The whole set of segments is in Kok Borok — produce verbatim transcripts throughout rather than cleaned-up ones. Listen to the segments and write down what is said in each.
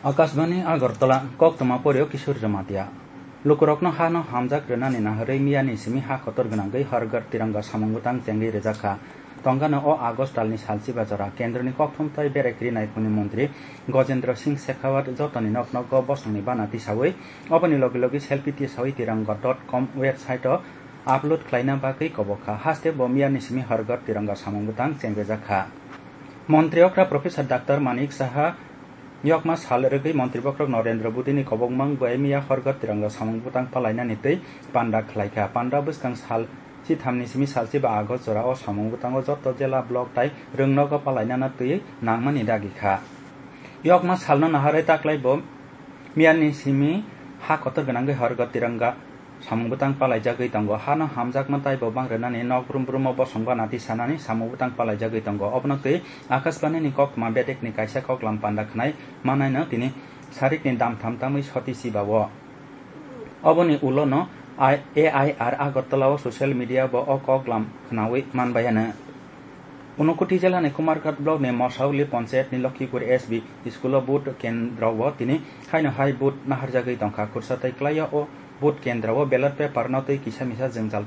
Akashbani Agartala, koktwma porio Kishore Jamatia. Lukurokno hano hamjak rwnani naharwi miyani simi ha kotor gwnangwi Har Ghar Tiranga samung bwtang chengwi rwjak kha. Tongano o August talni salchiba jora kendroni kokthum tei berai kwrwi naiphungni montri Gajendra Singh Shekhawat jotoni nok nogo bosongni bana tisawi, oboni logi logi selfie tisawi tiranga dot com website-o upload khlaina bagwi kobok kha. Haste bo miyani simi Har Ghar Tiranga samung bwtang chengrijak kha. Montri okra Professor Doctor Manik Saha yokma sal rwgwi montri bokhorok Narendra Modini kobokmang bai miya Har Ghar Tiranga samung bwtang palainani twi panda khlaikha. Panda bwskang sal chithamni simi salchiba August jora o samung bwtango joto jela, block tai rwngnogo palainana twi nangmani dagi kha. Yokma salno naharwi taklai bo miyani simi ha kotor gwnangwi Har Ghar Tiranga samung bwtang palaijagwi tongo. Hano hamjakma taibo bang rwnani nok brum brumo bosong bana tisanani samung bwtang palaijagwi tongo. Obono twi Akashbanini koktwma bedekni kaisa koklam panda khnai manaino tini sarikni damtham tamwi soti sibao. Oboni ulono I-, A I R Agartala o social media bo o koklam khnawi manbayano. Unakoti jilani Kumarghat block ni Mosauli panchayat ni Lokhipur S B school o vote kendro o tini haino hai vote naharjagwi tongkha. Khursa tei klaio o vote kendro o ballot paper no twi kisa misa jwngjal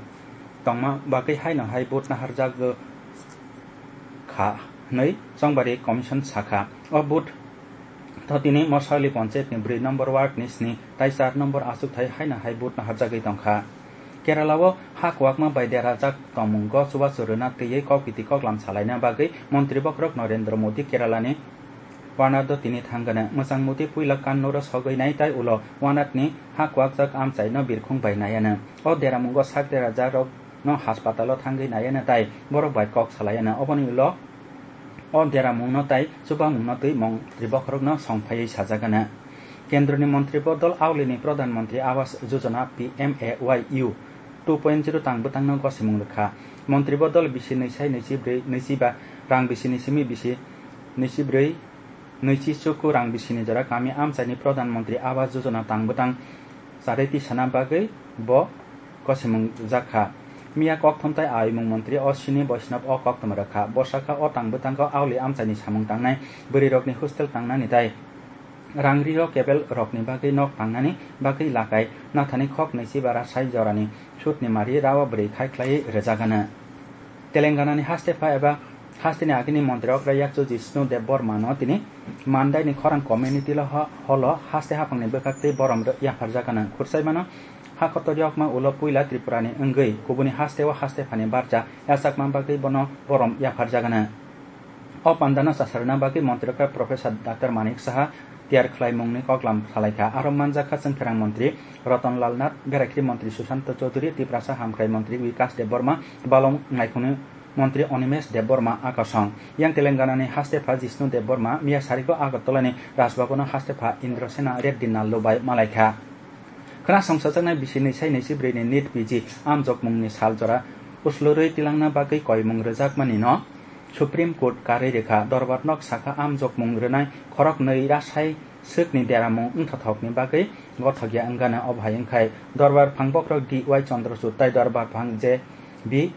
tongma bagwi haino hai vote naharjagwi kha hwnwi Chongbari Commission sakha. O vote thotini Mosauli panchayat ni bwrwi number ward ni sni tai char number achukthai haino hai vote naharjagwi tongkha. Kerala o ha kwakma bai derajak tongmungo chubachu rwna twiwi kokbiti koklam salaina bagwi montri bokhorok Narendra Modi Kerala ni Wayanad o tini thangano. Mwchang Modi puila Kannur o sogwi nai tai ulo Wayanad ni ha kwakjak amchaino birkhung bai naiano. O deramungo sak derajak rok no haspatalo thangwi naiano tai borok bai kok salaiano. Oboni ulo o deramungno tai chubamungno twi montri bokhorokno songphaiwi sajagano. Kendroni montri bodol aulini Pradhan Mantri Awas Yojana P M A Y U two point zero tang bwtangno gosimung rwkha. Montri bodol bisi nwi sai nwi chi bwrwi nwi chi ba rang bisini simi bisi nwi chi bwrwi nwi chi chuku rang bisini jora kami amchaini Pradhan Mantri Awas Yojana tang bwtang charwi tisana bagwi bo gosimung rwjak kha. Miya kokthum tai ayumung montri Ashwini Vaishnaw o koktwma rwkha. Bo sakha o tang bwtango auli amchaini samung tangnai bwrwirokni hostel tangnani tai rang rio kebel rokni bagwi nok tangnani bagwi lakai nathani khok nwi chi bara sai jorani sutni mari rawa bwrwi khai khlaiwi rwjagano. Telengana ni haste pha eba hasteni agini montri okra yakchu Jishnu Debbarma no tini Mandai ni khorang community lo ho-, holo haste haphangni bwkhaktwi borom rw-, yapharjagano. Khursaimano ha kotor yokma ulo puila Tripura ni wngwi kubuni haste o haste phani barcha yachakma bagwi bono borom yapharjagano. O pandano chasarna bagwi montri okra Professor Doctor Manik Saha tiyar khlaimungni koklam salaikha. Aro manjakha chwngkherang montri Ratan Lal Nath, beraikri montri Sushanta Chowdhury, Tiprasa hamkrai montri Vikas Debbarma, balong naikhungni montri Animesh Debbarma akosong. Yang Telengana ni haste pha Jishnu Debbarma miya sariko Agartala ni Rajbhavan o haste pha Indrasena Reddy Nallu bai malaikha. Khwnasongsajak nai bisi nwi sai nwi chi bwrwi ni NEET P G amjokmungni sal jora uslurwi tilangna bagwi koimung rwjakmani no Supreme Court karwi rwkha. Dorbar nok sakha amjokmung rwnai khorok nwi ra sai swkni deramung wngthothokni bagwi gothokya wngano. Obo hai wngkhai Dorbar phang bokhorok D Y Chandrachud tai Dorbar phang J B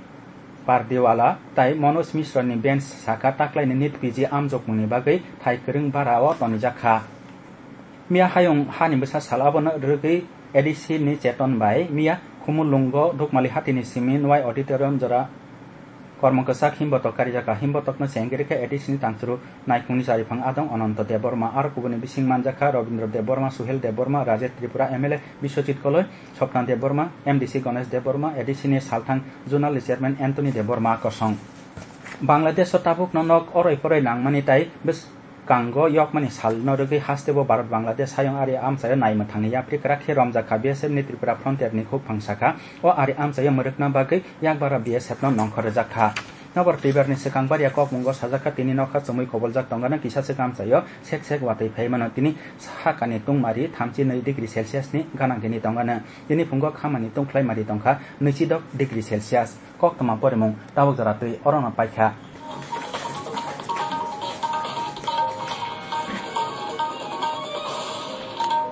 Pardiwala tai Manoj Mishra ni bench sakha taklaini NEET P G amjokmungni bagwi thai kwrwng bara o tonijak kha. Miya hayung hani bwsa sal abono rwgwi A D C ni Cheton bai miya Khumulwngo Dukmali hatini simi Nwai Auditorium jora kormo kwchak himbotok karijak kha. Himbotokno chengwi rwkha A D C ni tangchwrwk naikhungni chariphang adong Ananto Debbarma, aro kubuni bising manjakha Rabindra Debbarma, Suhel Debbarma, Rajet Tripura M L A Biswajit Koloi, Swapna Debbarma, M D C Ganesh Debbarma, A D C ni salthang Zonal Chairman Anthony Debbarma kosong. Bangladesh o tabukno nok oroi poroi nangmani tai bwskango yokmani salno rwgwi hasteo Bharat Bangladesh hayung ari amchaio naimwthangni yapri kwrak khe romjak kha. B S F ni Tripura Frontier ni khukphang sakha, o ari amchaio mwrwkna bagwi yakbara B S F no nongkhor rwjak kha. Nokbar twibarni swkang baria kokmungo sajak kha, tini nokha chumui koboljak tongano kisa swk amchaio sek sek watwi phai mano. Tini sakani tungmari thamchi nwi degree Celsius ni ganangtini tongano. Tini phungo khamani tungkhlai mari tongkha nwichi dok degree Celsius. Koktwma porimung tabuk jora twi orono paikha.